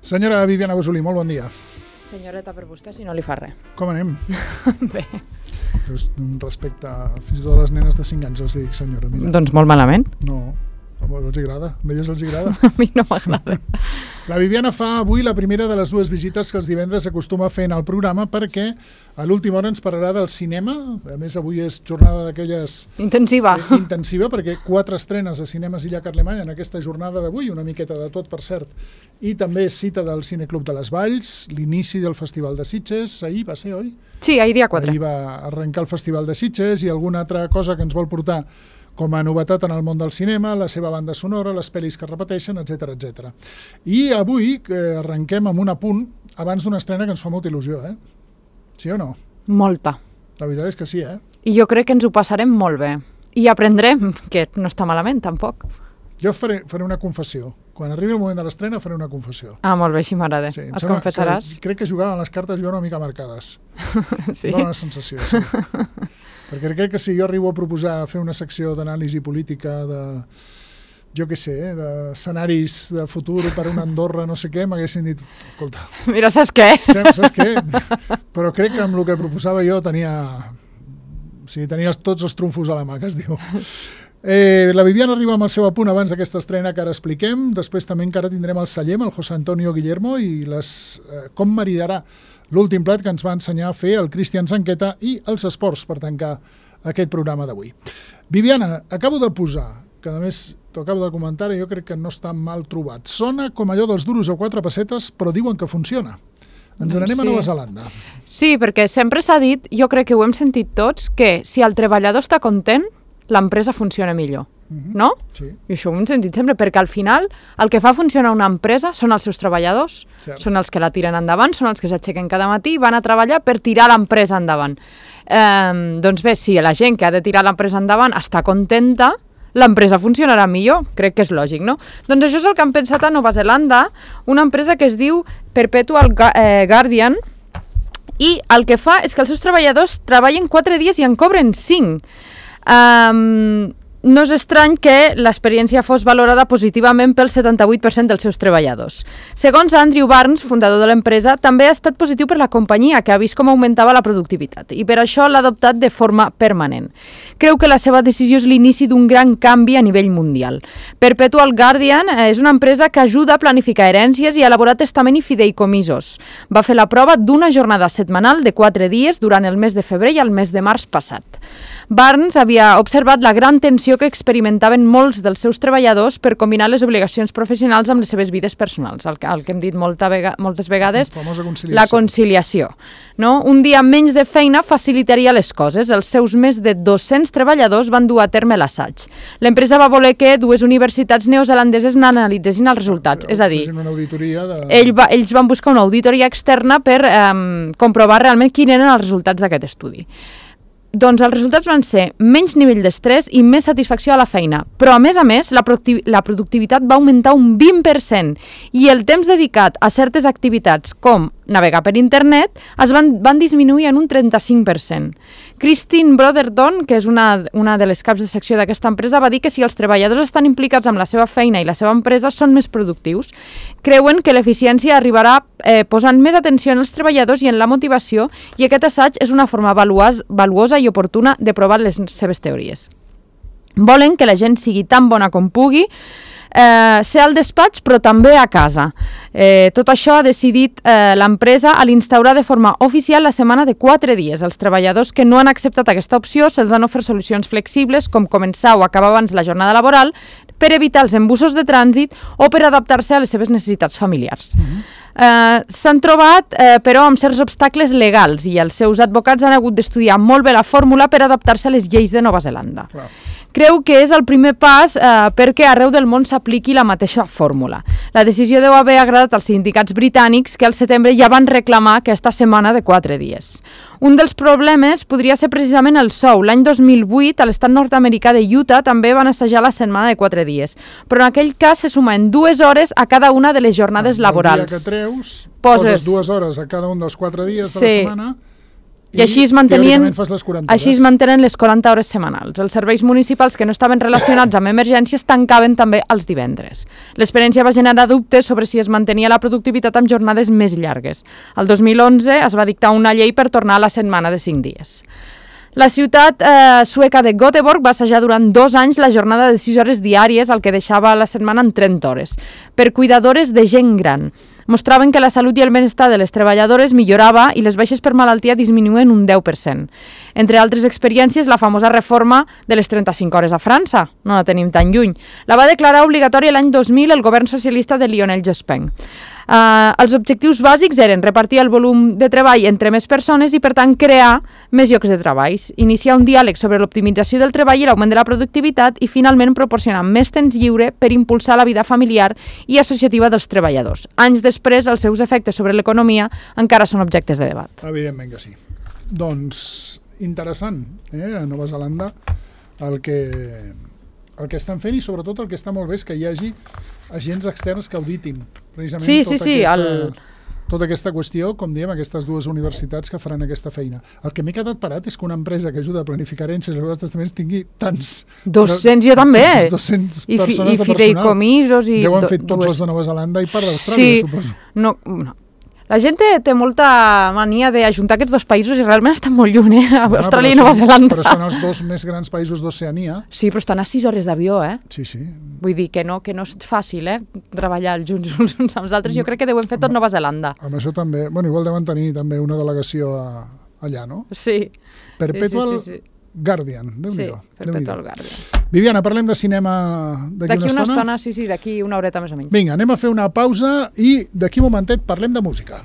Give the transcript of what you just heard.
Senyora Viviana Bosolí, molt bon dia. Senyoreta per vostè, si no li fa res. Com anem? Bé. Respecte fins i tot a les nenes de 5 anys els dic senyora. Mira. Doncs molt malament. No, els agrada. A elles els agrada. A mi no m'agrada. La Viviana fa avui la primera de les dues visites que els divendres acostuma a fer en el programa perquè a l'última hora ens parlarà del cinema. A més, avui és jornada d'aquelles... Intensiva. Intensiva, perquè 4 estrenes a Cinemes Illa Carlemany en aquesta jornada d'avui, una miqueta de tot, per cert. I també cita del Cineclub de les Valls, l'inici del Festival de Sitges, ahir va ser, oi? Sí, ahir dia 4. Ahir va arrencar el Festival de Sitges i alguna altra cosa que ens vol portar com a novetat en el món del cinema, la seva banda sonora, les pel·lis que repeteixen, etc etc. I avui arrenquem amb un apunt abans d'una estrena que ens fa molta il·lusió, eh? Sí o no? Molta. La veritat és que sí, eh? I jo crec que ens ho passarem molt bé. I aprendrem, que no està malament, tampoc. Jo faré una confessió. Quan arribi el moment de l'estrena faré una confessió. Ah, molt bé, així m'agrada. Sí, et confessaràs? Crec que jugaven les cartes jo una mica marcades. Sí? Dóna una sensació, sí. Perquè crec que si jo arribo a proposar fer una secció d'anàlisi política de, jo què sé, d'escenaris de futur per una Andorra, no sé què, m'haguessin dit, escolta... Mira, saps què? Saps què? Però crec que amb el que proposava jo tenia tots els trumfos a la mà, que es diu. La Viviana arriba amb el seu apunt abans d'aquesta estrena que ara expliquem, després també encara tindrem el celler, el José Antonio Guillermo, i com maridarà l'últim plat que ens va ensenyar a fer el Cristian Zanqueta i els esports per tancar aquest programa d'avui. Viviana, acabo de posar, que a més t'ho acabo de comentar i jo crec que no està mal trobat. Sona com allò dels duros a 4 pessetes, però diuen que funciona. Ens n'anem a Nova Zelanda. Sí, perquè sempre s'ha dit, jo crec que ho hem sentit tots, que si el treballador està content, l'empresa funciona millor, no? Sí. I això ho hem sentit sempre, perquè al final el que fa funcionar una empresa són els seus treballadors, Cert. Són els que la tiren endavant, són els que s'aixequen cada matí i van a treballar per tirar l'empresa endavant. Doncs bé, si la gent que ha de tirar l'empresa endavant està contenta, l'empresa funcionarà millor, crec que és lògic, no? Doncs això és el que han pensat a Nova Zelanda, una empresa que es diu Perpetual Guardian, i el que fa és que els seus treballadors treballen 4 dies i en cobren 5. No és estrany que l'experiència fos valorada positivament pel 78% dels seus treballadors. Segons Andrew Barnes, fundador de l'empresa, també ha estat positiu per la companyia, que ha vist com augmentava la productivitat, i per això l'ha adoptat de forma permanent. Creu que la seva decisió és l'inici d'un gran canvi a nivell mundial. Perpetual Guardian és una empresa que ajuda a planificar herències i a elaborar testament i fideïcomisos. Va fer la prova d'una jornada setmanal de 4 dies durant el mes de febrer i el mes de març passat. Barnes havia observat la gran tensió que experimentaven molts dels seus treballadors per combinar les obligacions professionals amb les seves vides personals, el que hem dit moltes vegades, la conciliació. No? Un dia menys de feina facilitaria les coses. Els seus més de 200 treballadors van dur a terme l'assaig. L'empresa va voler que 2 universitats neozelandeses n'analitzessin els resultats, és a dir, ells van buscar una auditoria externa per comprovar realment quins eren els resultats d'aquest estudi. Doncs els resultats van ser menys nivell d'estrès i més satisfacció a la feina, però a més, la productivitat va augmentar un 20% i el temps dedicat a certes activitats com navegar per internet van disminuir en un 35%. Christine Brotherton, que és una de les caps de secció d'aquesta empresa, va dir que si els treballadors estan implicats amb la seva feina i la seva empresa són més productius. Creuen que l'eficiència arribarà posant més atenció en els treballadors i en la motivació, i aquest assaig és una forma valuosa i oportuna de provar les seves teories. Volen que la gent sigui tan bona com pugui, ser al despatx però també a casa. Tot això ha decidit l'empresa a l'instaurar de forma oficial la setmana de 4 dies. Els treballadors que no han acceptat aquesta opció se'ls han ofert solucions flexibles com començar o acabar abans la jornada laboral per evitar els embussos de trànsit o per adaptar-se a les seves necessitats familiars. S'han trobat, però, amb certs obstacles legals i els seus advocats han hagut d'estudiar molt bé la fórmula per adaptar-se a les lleis de Nova Zelanda. Creu que és el primer pas perquè arreu del món s'apliqui la mateixa fórmula. La decisió deu haver agradat als sindicats britànics que al setembre ja van reclamar aquesta setmana de 4 dies. Un dels problemes podria ser precisament el sou. L'any 2008, a l'estat nord-americà de Utah també van assajar la setmana de 4 dies, però en aquell cas se sumen 2 hores a cada una de les jornades laborals. El dia que treus, poses 2 hores a cada un dels 4 dies de la setmana I així es mantenien, teòricament fas les 40 així es mantenen les 40 hores setmanals. Els serveis municipals que no estaven relacionats amb emergències tancaven també els divendres. L'experiència va generar dubtes sobre si es mantenia la productivitat amb jornades més llargues. El 2011 es va dictar una llei per tornar a la setmana de 5 dies. La ciutat sueca de Göteborg va assajar durant 2 anys la jornada de 6 hores diàries, el que deixava la setmana en 30 hores, per cuidadores de gent gran. Mostraven que la salut i el benestar de les treballadores millorava i les baixes per malaltia disminuen un 10%. Entre altres experiències, la famosa reforma de les 35 hores a França, no la tenim tan lluny, la va declarar obligatòria l'any 2000 el govern socialista de Lionel Jospin. Els objectius bàsics eren repartir el volum de treball entre més persones i, per tant, crear més llocs de treball, iniciar un diàleg sobre l'optimització del treball i l'augment de la productivitat i, finalment, proporcionar més temps lliure per impulsar la vida familiar i associativa dels treballadors. Anys després, els seus efectes sobre l'economia encara són objectes de debat. Evidentment que sí. Doncs, interessant, a Nova Zelanda el que estan fent, i sobretot el que està molt bé és que hi hagi agents externs que auditin precisament tota aquesta qüestió, com diem, aquestes 2 universitats que faran aquesta feina. El que m'he quedat parat és que una empresa que ajuda a planificar herències i els testaments tingui tants... 200, jo també! 200 I persones de personal. fideïcomisos i... Deuen fet tots els de Nova Zelanda i part d'Austràlia, suposo. No. La gent té molta mania d'ajuntar aquests 2 països i realment estan molt lluny, Austràlia i Nova Zelanda. Però són els 2 més grans països d'Oceania. Sí, però estan a 6 hores d'avió, Sí. Vull dir que no és fàcil, treballar junts uns amb els altres. Jo crec que deuen fer tot Nova Zelanda. Amb això també, igual deuen tenir també una delegació allà, no? Sí. Perpetual Guardian, Déu-n'hi-do. Sí, Perpetual Guardian. Viviana, parlem de cinema d'aquí una estona? Sí, d'aquí una horeta més o menys. Vinga, anem a fer una pausa i d'aquí un momentet parlem de música.